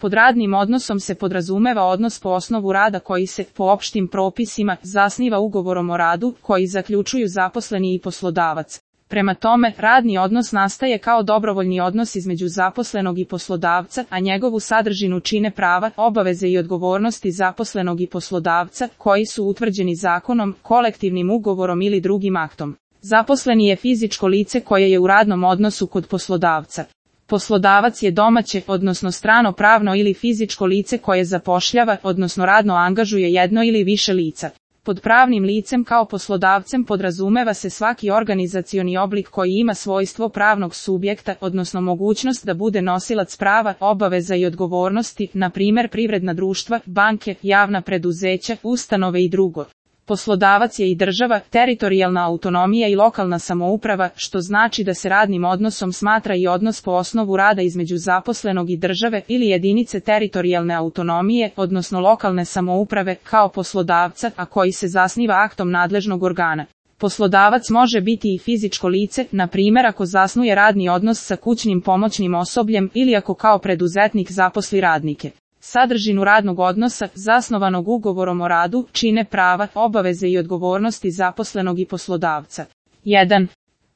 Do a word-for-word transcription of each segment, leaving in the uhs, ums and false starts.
Pod radnim odnosom se podrazumeva odnos po osnovu rada koji se, po opštim propisima, zasniva ugovorom o radu, koji zaključuju zaposleni i poslodavac. Prema tome, radni odnos nastaje kao dobrovoljni odnos između zaposlenog i poslodavca, a njegovu sadržinu čine prava, obaveze i odgovornosti zaposlenog i poslodavca, koji su utvrđeni zakonom, kolektivnim ugovorom ili drugim aktom. Zaposleni je fizičko lice koje je u radnom odnosu kod poslodavca. Poslodavac je domaće, odnosno strano pravno ili fizičko lice koje zapošljava, odnosno radno angažuje jedno ili više lica. Pod pravnim licem kao poslodavcem podrazumeva se svaki organizacioni oblik koji ima svojstvo pravnog subjekta, odnosno mogućnost da bude nosilac prava, obaveza i odgovornosti, na primjer privredna društva, banke, javna preduzeća, ustanove i drugo. Poslodavac je i država, teritorijalna autonomija i lokalna samouprava, što znači da se radnim odnosom smatra i odnos po osnovu rada između zaposlenog i države ili jedinice teritorijalne autonomije, odnosno lokalne samouprave, kao poslodavca, a koji se zasniva aktom nadležnog organa. Poslodavac može biti i fizičko lice, na primjer ako zasnuje radni odnos sa kućnim pomoćnim osobljem ili ako kao preduzetnik zaposli radnike. Sadržinu radnog odnosa, zasnovanog ugovorom o radu, čine prava, obaveze i odgovornosti zaposlenog i poslodavca. jedan.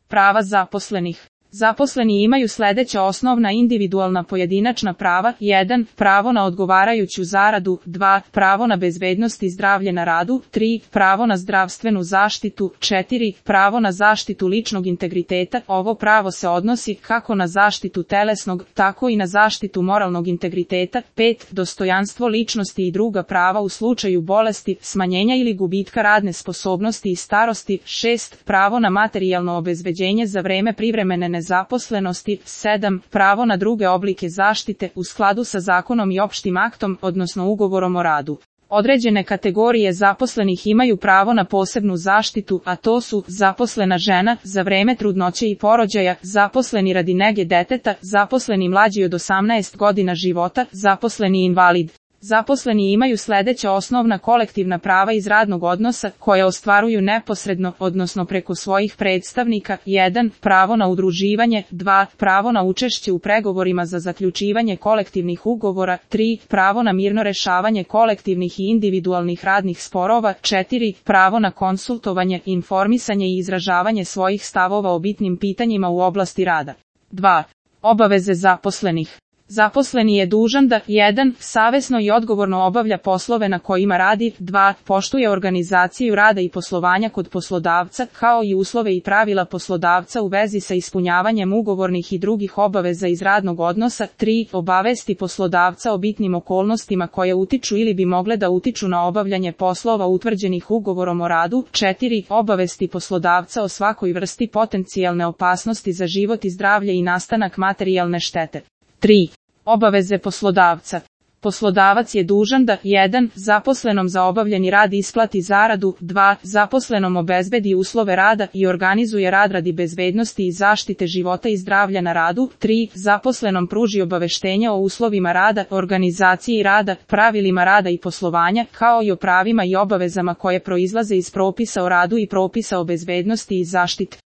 Prava zaposlenih. Zaposleni imaju sljedeća osnovna individualna pojedinačna prava. jedan. Pravo na odgovarajuću zaradu. dva. Pravo na bezbednost i zdravlje na radu. tri. Pravo na zdravstvenu zaštitu. četiri. Pravo na zaštitu ličnog integriteta. Ovo pravo se odnosi kako na zaštitu telesnog, tako i na zaštitu moralnog integriteta. pet. Dostojanstvo ličnosti i druga prava u slučaju bolesti, smanjenja ili gubitka radne sposobnosti i starosti. šest. Pravo na materijalno obezbeđenje za vreme privremene nezaposlenosti. sedam. Pravo na druge oblike zaštite u skladu sa zakonom i opštim aktom, odnosno ugovorom o radu. Određene kategorije zaposlenih imaju pravo na posebnu zaštitu, a to su zaposlena žena za vreme trudnoće i porođaja, zaposleni radi nege deteta, zaposleni mlađi od osamnaest godina života, zaposleni invalid. Zaposleni imaju sljedeća osnovna kolektivna prava iz radnog odnosa, koje ostvaruju neposredno, odnosno preko svojih predstavnika. jedan. Pravo na udruživanje. dva. Pravo na učešće u pregovorima za zaključivanje kolektivnih ugovora. tri. Pravo na mirno rešavanje kolektivnih i individualnih radnih sporova. četiri. Pravo na konsultovanje, informisanje i izražavanje svojih stavova o bitnim pitanjima u oblasti rada. dva. Obaveze zaposlenih. Zaposleni je dužan da jedan. Savesno i odgovorno obavlja poslove na kojima radi. dva. Poštuje organizaciju rada i poslovanja kod poslodavca, kao i uslove i pravila poslodavca u vezi sa ispunjavanjem ugovornih i drugih obaveza iz radnog odnosa. tri. Obavesti poslodavca o bitnim okolnostima koje utiču ili bi mogle da utiču na obavljanje poslova utvrđenih ugovorom o radu. četiri. Obavesti poslodavca o svakoj vrsti potencijalne opasnosti za život i zdravlje i nastanak materijalne štete. tri. Obaveze poslodavca. Poslodavac je dužan da jedan. Zaposlenom za obavljeni rad isplati zaradu. dva. Zaposlenom obezbedi uslove rada i organizuje rad radi bezbednosti i zaštite života i zdravlja na radu. tri. Zaposlenom pruži obaveštenja o uslovima rada, organizaciji rada, pravilima rada i poslovanja, kao i o pravima i obavezama koje proizlaze iz propisa o radu i propisa o bezbednosti i zaštiti.